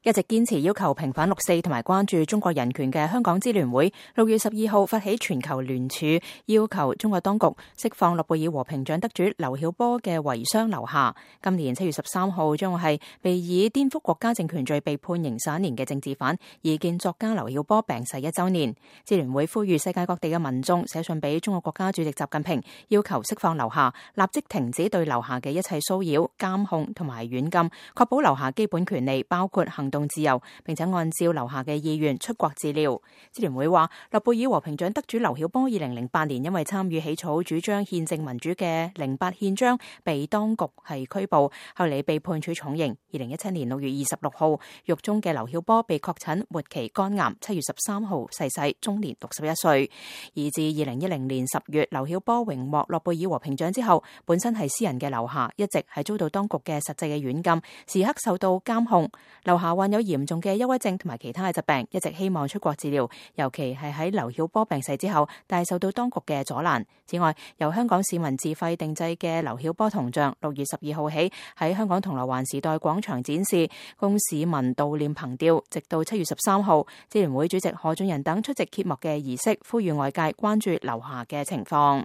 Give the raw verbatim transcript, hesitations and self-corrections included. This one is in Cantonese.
一直堅持要求平反六四同埋關注中國人權嘅香港支聯會，六月十二號發起全球聯署，要求中國當局釋放諾貝爾和平獎得主劉曉波嘅遺孀劉霞。今年七月十三號將會係被以顛覆國家政權罪被判刑十一年嘅政治犯、異見作家劉曉波病逝一週年。支聯會呼籲世界各地嘅民眾寫信俾中國國家主席習近平，要求釋放劉霞，立即停止對劉霞嘅一切騷擾、監控同埋軟禁，確保劉霞基本權利，包括行動自由，並且按照劉霞嘅意願出國治療。支聯會話，諾貝爾和平獎得主劉曉波二零零八年因為參與起草主張憲政民主嘅零八憲章，被當局係拘捕，後嚟被判處重刑。二零一七年六月二十六號，獄中嘅劉曉波被確診末期肝癌，七月十三號逝世，終年六十一歲。而自二零一零年十月，劉曉波榮獲諾貝爾和平獎之後，本身係詩人嘅劉霞一直係遭到當局嘅實際嘅軟禁，時刻受到監控。劉霞患有嚴重嘅憂鬱症同埋其他嘅疾病，一直希望出國治療，尤其係喺劉曉波病逝之後，但係受到當局嘅阻攔。此外，由香港市民自費定製嘅劉曉波銅像，六月十二號起喺香港銅鑼灣時代廣場展示，供市民悼念憑吊，直到七月十三號。支聯會主席何俊仁等出席揭幕嘅儀式，呼籲外界關注劉霞嘅情況。